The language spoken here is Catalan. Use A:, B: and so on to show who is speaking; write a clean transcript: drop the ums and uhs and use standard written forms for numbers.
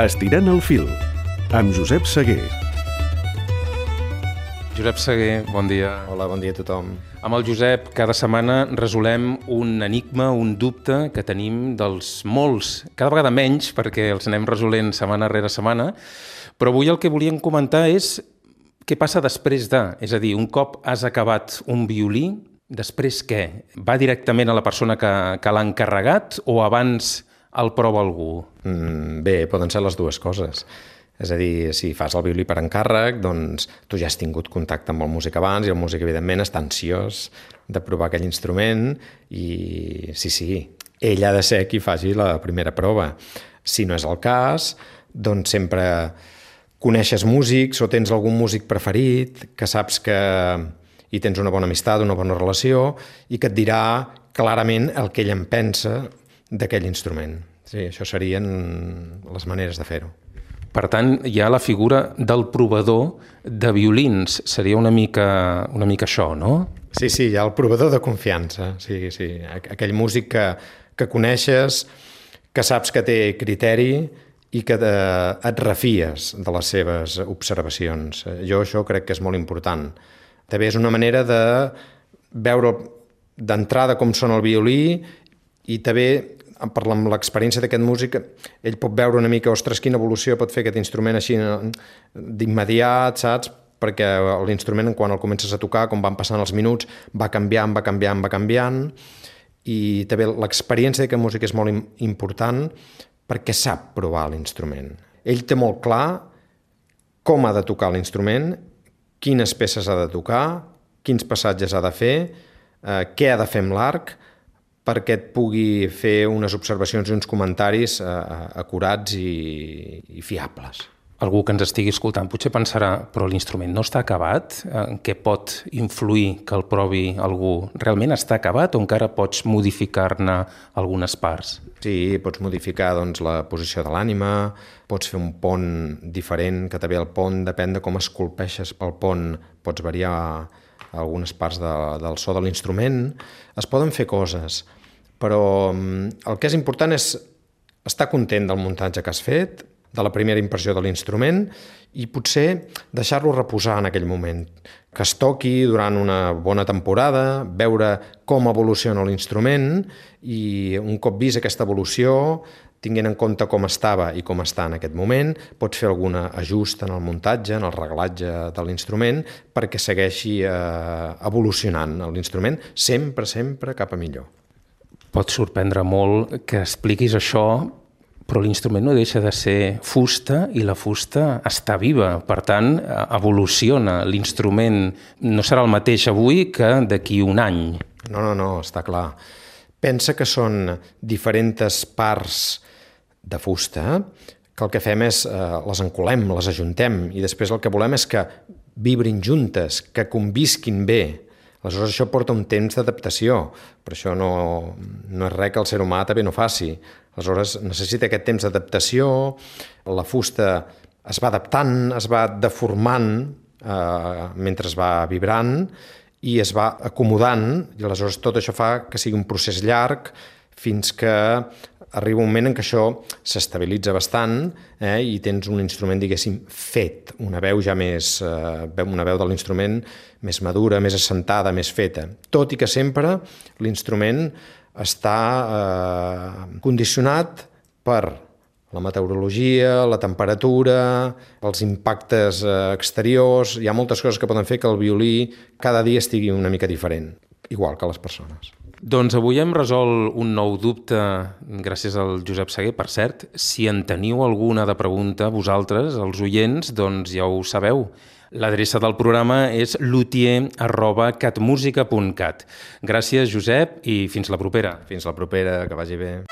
A: Estirant el fil, amb Josep Seguer.
B: Josep Seguer, bon dia.
C: Hola, bon dia a tothom.
B: Amb el Josep, cada setmana resolem un enigma, un dubte que tenim dels molts, cada vegada menys, perquè els anem resolent setmana rere setmana, però avui el que volíem comentar és què passa després de, és a dir, un cop has acabat un violí, després què? Va directament a la persona que l'ha encarregat o abans el prova algú?
C: Bé, poden ser les dues coses. És a dir, si fas el violí per encàrrec, doncs tu ja has tingut contacte amb el músic abans i el músic, evidentment, està ansiós de provar aquell instrument i sí, ell ha de ser qui faci la primera prova. Si no és el cas, doncs sempre coneixes músics o tens algun músic preferit que saps que hi tens una bona amistat, una bona relació i que et dirà clarament el que ell en pensa d'aquell instrument. Sí, això serien les maneres de fer-ho.
B: Per tant, hi ha la figura del provador de violins. Seria una mica això, no?
C: Sí, hi ha el provador de confiança. Sí. Aquell músic que coneixes, que saps que té criteri i que et refies de les seves observacions. Jo això crec que és molt important. També és una manera de veure d'entrada com sona el violí i també, amb l'experiència d'aquest músic, ell pot veure una mica, ostres, quina evolució pot fer aquest instrument així d'immediat, saps? Perquè l'instrument, quan el comences a tocar, com van passant els minuts, va canviant, i també l'experiència d'aquest músic és molt important perquè sap provar l'instrument. Ell té molt clar com ha de tocar l'instrument, quines peces ha de tocar, quins passatges ha de fer, què ha de fer amb l'arc, perquè et pugui fer unes observacions i uns comentaris acurats i fiables.
B: Algú que ens estigui escoltant potser pensarà, però l'instrument no està acabat? En què pot influir que el provi algú? Realment està acabat o encara pots modificar-ne algunes parts?
C: Sí, pots modificar la posició de l'ànima, pots fer un pont diferent, que també el pont depèn de com esculpeixes pel pont, pots variar algunes parts del so de l'instrument. Es poden fer coses, però el que és important és estar content del muntatge que has fet, de la primera impressió de l'instrument i potser deixar-lo reposar en aquell moment, que es toqui durant una bona temporada, veure com evoluciona l'instrument i un cop vist aquesta evolució, tinguent en compte com estava i com està en aquest moment, pots fer algun ajust en el muntatge, en el reglatge de l'instrument, perquè segueixi evolucionant l'instrument, sempre cap a millor.
B: Pot sorprendre molt que expliquis això, però l'instrument no deixa de ser fusta i la fusta està viva. Per tant, evoluciona. L'instrument no serà el mateix avui que d'aquí un any.
C: No, està clar. Pensa que són diferents parts de fusta que el que fem és les encolem, les ajuntem i després el que volem és que vibrin juntes, que convisquin bé. Aleshores això porta un temps d'adaptació, però això no és res que el ser humà també no faci. Aleshores necessita aquest temps d'adaptació, la fusta es va adaptant, es va deformant mentre es va vibrant i es va acomodant i aleshores tot això fa que sigui un procés llarg fins que arriba un moment en què això s'estabilitza bastant i tens un instrument, diguéssim, fet, una veu ja més, una veu de l'instrument més madura, més assentada, més feta. Tot i que sempre l'instrument està condicionat per la meteorologia, la temperatura, els impactes exteriors. Hi ha moltes coses que poden fer que el violí cada dia estigui una mica diferent, igual que les persones.
B: Doncs avui hem resolt un nou dubte gràcies al Josep Seguer. Per cert, si en teniu alguna de pregunta vosaltres, els oients, doncs ja ho sabeu. L'adreça del programa és luthier@catmusica.cat. Gràcies, Josep, i fins la propera.
C: Fins la propera, que vagi bé.